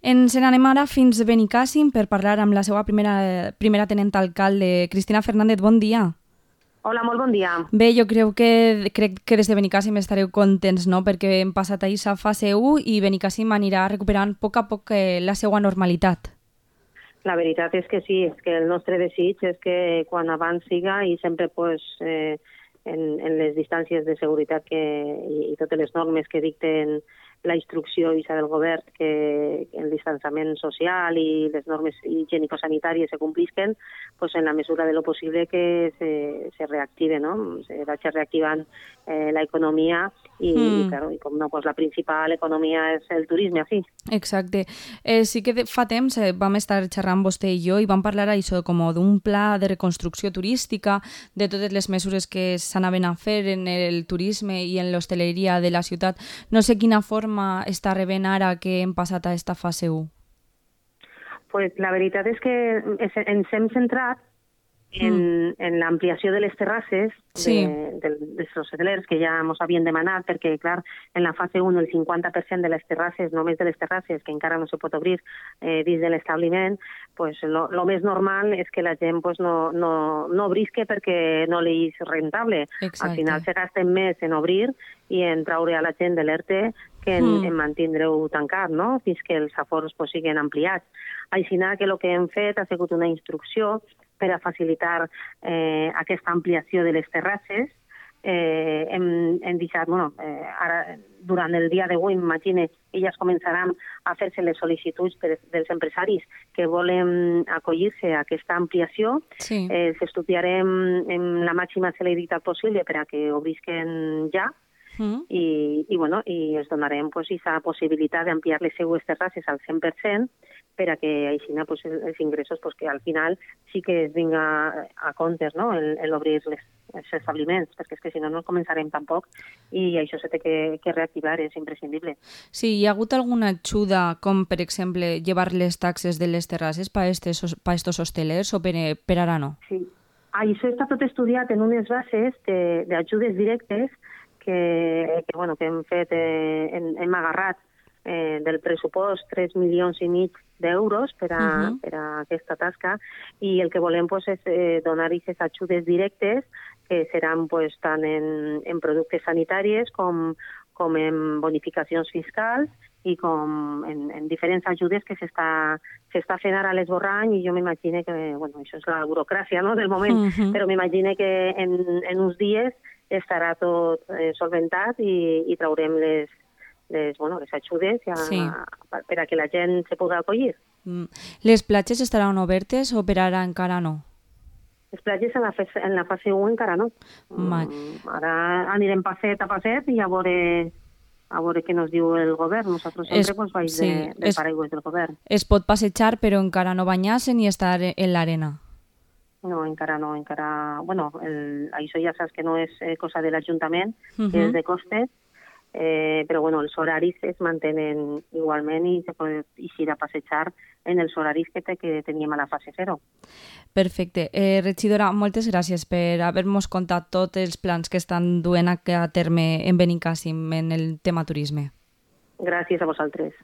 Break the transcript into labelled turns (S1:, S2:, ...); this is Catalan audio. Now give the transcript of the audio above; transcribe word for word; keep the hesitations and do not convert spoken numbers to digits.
S1: Ens n'anem ara fins a Benicàssim per parlar amb la seva primera, primera tenent alcalde, Cristina Fernández. Bon dia.
S2: Hola, molt bon dia.
S1: Bé, jo crec que, crec que des de Benicàssim estareu contents, no?, perquè hem passat ahir a fase u i Benicàssim anirà recuperant a poc a poc eh, la seva normalitat.
S2: La veritat és que sí, és que el nostre desig és que quan abans siga i sempre pues, eh, en, en les distàncies de seguretat que, i, i totes les normes que dicten la instrucció i del govern, que el distanciament social i les normes higiènico-sanitàries se complisquen, pues en la mesura de lo possible que se, se reactive, no? Se vagi reactivant eh, la economia i, mm. i, claro, i com no, pues la principal economia és el turisme, així.
S1: Exacte. Eh, sí que fa temps eh, vam estar xerrant vostè i jo i vam parlar això com d'un pla de reconstrucció turística, de totes les mesures que s'anaven a fer en el turisme i en l'hostaleria de la ciutat. No sé quina forma està rebent ara que hem passat a esta fase u?
S2: Pues la veritat és que ens hem centrat en, mm. en l'ampliació de les terrasses
S1: sí.
S2: de, de, dels hotelers que ja ens havien demanat, perquè, clar, en la fase u el cinquanta per cent de les terrasses, només de les terrasses, que encara no se pot obrir eh, dins de l'establiment, pues lo, lo més normal és que la gent pues, no, no, no obrisque perquè no li és rentable.
S1: Exacte.
S2: Al final se gasten més en obrir i en traure a la gent de l'E R T E que en, mm. en mantindre-ho tancat, no?, fins que els afors pues, siguin ampliats. Així que el que hem fet ha sigut una instrucció per a facilitar eh, aquesta ampliació de les terrasses. Eh, hem, hem deixat, bueno, eh, ara, durant el dia d'avui, m'imagine, elles començaran a fer-se les sol·licituds per, dels empresaris que volen acollir-se a aquesta ampliació.
S1: Sí.
S2: Eh, S'estudiarem en la màxima celeritat possible per a que obrisquen ja. Mm. I, i, bueno, i els donarem pues, aquesta possibilitat d'ampliar les seues terrasses al cent per cent per a que així pues, els ingressos pues, que al final sí que es vinga a comptes, no?, el, el obrir les, els establiments, perquè és que si no no començarem tampoc i això se té que, que reactivar, és imprescindible.
S1: Sí, hi ha hagut alguna ajuda, com per exemple llevar les taxes de les terrasses per a estos hostelers o per, per ara no?
S2: Sí, això està tot estudiat en unes bases d'ajudes directes que, que, bueno, que hem fet, eh, hem, hem agarrat eh, del pressupost tres milions i mig d'euros per, a, uh-huh. per a aquesta tasca i el que volem pues, és eh, donar aquestes ajudes directes que seran pues, tant en, en productes sanitaris com, com en bonificacions fiscals i com en, en diferents ajudes que s'està s'està fent ara a l'esborrany i jo m'imagino que, bueno, això és la burocràcia, no?, del moment, uh-huh. però m'imagino que en, en uns dies estarà tot eh, solventat i, i traurem les, les, bueno, les ajudes a, sí. per, per a que la gent se pugui acollir.
S1: Mm. Les platges estaran obertes o per ara encara no?
S2: Les platges en la, fase, en la fase u encara no. Mm, ara anirem passet a passet i a veure, a veure què ens diu el govern. Nosaltres sempre es, pues, vaig sí, de, del paraigües del govern.
S1: Es pot passejar però encara no banyar-se ni estar en l'arena.
S2: No, encara no, encara... Bueno, el, això ja saps que no és eh, cosa de l'Ajuntament, uh-huh. que és de costes, eh, però bueno, els horaris es mantenen igualment i se pot eixir a passejar en els horaris que, te, que teníem a la fase zero.
S1: Perfecte. Eh, regidora, moltes gràcies per haver-nos contat tots els plans que estan duent a terme en Benicàssim en el tema turisme.
S2: Gràcies a vosaltres.